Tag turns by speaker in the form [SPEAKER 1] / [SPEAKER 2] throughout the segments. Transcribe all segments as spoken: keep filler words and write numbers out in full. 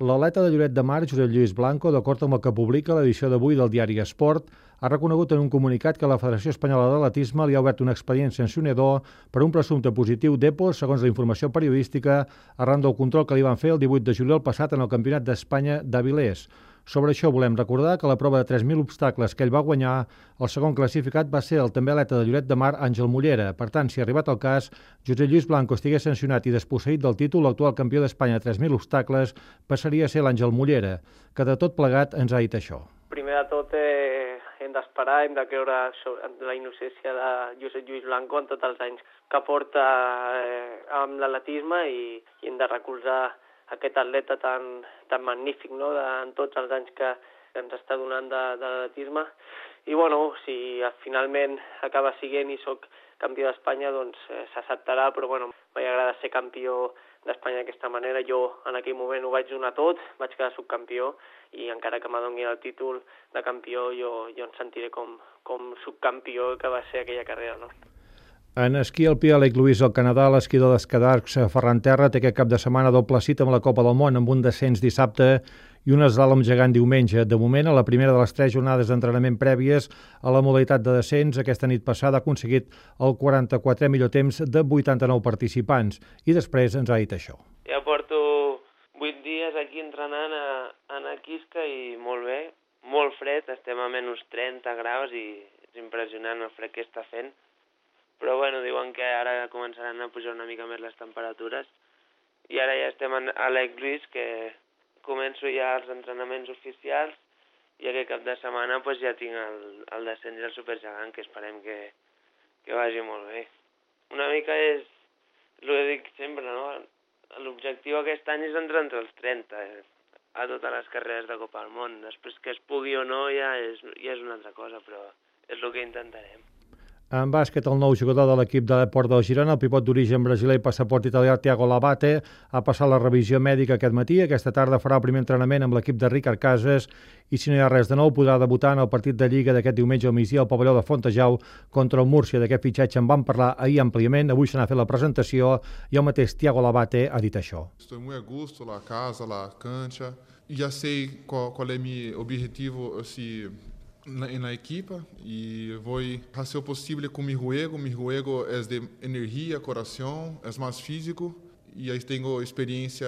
[SPEAKER 1] L'atleta de Lloret de Mar, Josep Lluís Blanco, d'acord amb el que publica l'edició d'avui del diari Esport, ha reconegut en un comunicat que la Federació Espanyola d'Atletisme li ha obert un expedient sancionador per un presumpte positiu d'E P O, segons la informació periodística, arran del control que li van fer el divuit de juliol passat en el Campionat d'Espanya d'Avilés. Sobre això volem recordar que la prova de tres mil obstacles que ell va guanyar, el segon classificat va ser el també atleta de Lloret de Mar, Àngel Mollera. Per tant, si arribat el cas, Josep Lluís Blanco estigués sancionat i desposseït del títol, l'actual campió d'Espanya de tres mil obstacles passaria a ser l'Àngel Mollera, que de tot plegat ens ha dit això.
[SPEAKER 2] Primer de tot eh, hem d'esperar, hem de creure en la innocència de Josep Lluís Blanco en tots els anys que porta eh, amb l'atletisme i, i hem de recolzar aquest atleta tan, tan magnífic, no?, de, en tots els anys que ens està donant de, de l'atletisme. I bueno, si finalment acaba siguent i sóc campió d'Espanya, doncs eh, s'acceptarà, però bueno, m'agrada ser campió d'Espanya d'aquesta manera. Jo en aquell moment ho vaig donar tot, vaig quedar subcampió i encara que m'adoni el títol de campió, jo, jo em sentiré com, com subcampió que va ser aquella carrera, no?
[SPEAKER 1] En esquí alpí a Lake Louise, al Canadà, l'esquidor d'escadarcs Ferran Terra té aquest cap de setmana doble cita amb la Copa del Món, amb un descens dissabte i un eslàlom gegant diumenge. De moment, a la primera de les tres jornades d'entrenament prèvies a la modalitat de descens, aquesta nit passada ha aconseguit el quaranta-quatrè millor temps de vuitanta-nou participants. I després ens ha dit això.
[SPEAKER 3] Ja porto vuit dies aquí entrenant a, a Naquisca i molt bé, molt fred, estem a menys trenta graus i és impressionant el fred que està fent. Però bueno, diuen que ara començaran a pujar una mica més les temperatures i ara ja estem a Lake Louise, que començo ja els entrenaments oficials i aquest cap de setmana pues, ja tinc el, el descens i el supergegant, que esperem que, que vagi molt bé. Una mica és el que dic sempre, no? L'objectiu aquest any és entrar entre els trenta eh, a totes les carreres de Copa del Món. Després que es pugui o no ja és, ja és una altra cosa, però és el que intentarem.
[SPEAKER 1] En bàsquet, el nou jugador de l'equip de l'Eport del Girona, el pivot d'origen brasiler i passaport italià Thiago Labate, ha passat la revisió mèdica aquest matí. Aquesta tarda farà el primer entrenament amb l'equip de Ricard Casas i, si no hi ha res de nou, podrà debutar en el partit de Lliga d'aquest diumenge al migdia al pavelló de Fontejau contra el Múrcia. D'aquest fitxatge en vam parlar ahir àmpliament. Avui se n'ha fet la presentació i el mateix Thiago Labate ha dit això.
[SPEAKER 4] Estou muito a gusto, la casa, la cancha. Já sei qual, qual é meu objetivo, assim, Na, na equipa e vou fazer o possível com meu juego. Meu juego é de energia, coração, é mais físico e aí tenho experiência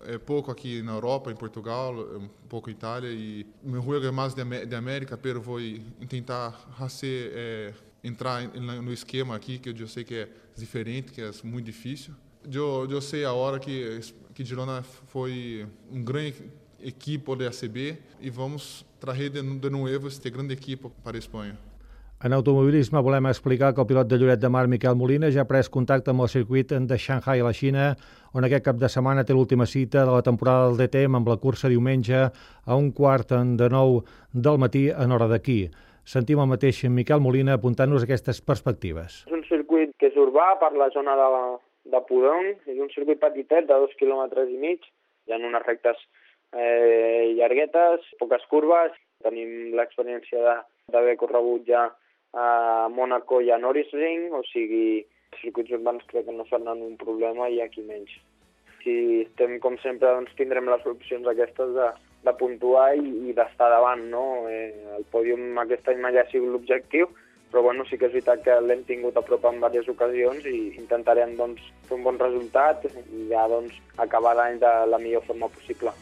[SPEAKER 4] é, pouco aqui na Europa, em Portugal, um pouco em Itália e meu juego é mais de, de América, pero vou tentar fazer é, entrar no esquema aqui que eu sei que é diferente, que é muito difícil. Eu, eu sei a hora que que Girona foi um grande equipo de A C B i vamos traer de, de nuevo este gran equipo para Espanya.
[SPEAKER 1] En automobilisme volem explicar que el pilot de Lloret de Mar, Miquel Molina, ja ha pres contacte amb el circuit de Shanghai a la Xina, on aquest cap de setmana té l'última cita de la temporada del D T M amb la cursa diumenge a un quart de nou del matí en hora d'aquí. Sentim el mateix Miquel Molina apuntant-nos aquestes perspectives.
[SPEAKER 5] És un circuit que és urbà per la zona de, la, de Pudong, és un circuit petitet de dos quilòmetres i mig, hi ha unes rectes Eh, llarguetes, poques curves. Tenim l'experiència d'haver corregut ja a Mònaco i a Nürburgring, o sigui, circuits urbans crec que no seran un problema i aquí menys. Si estem com sempre, doncs tindrem les opcions aquestes de, de puntuar i, i d'estar davant, no? Eh, el pòdium aquest any mai ha sigut l'objectiu, però bueno, sí que és veritat que l'hem tingut a prop en diverses ocasions i intentarem doncs, fer un bon resultat i ja doncs, acabar l'any de la millor forma possible.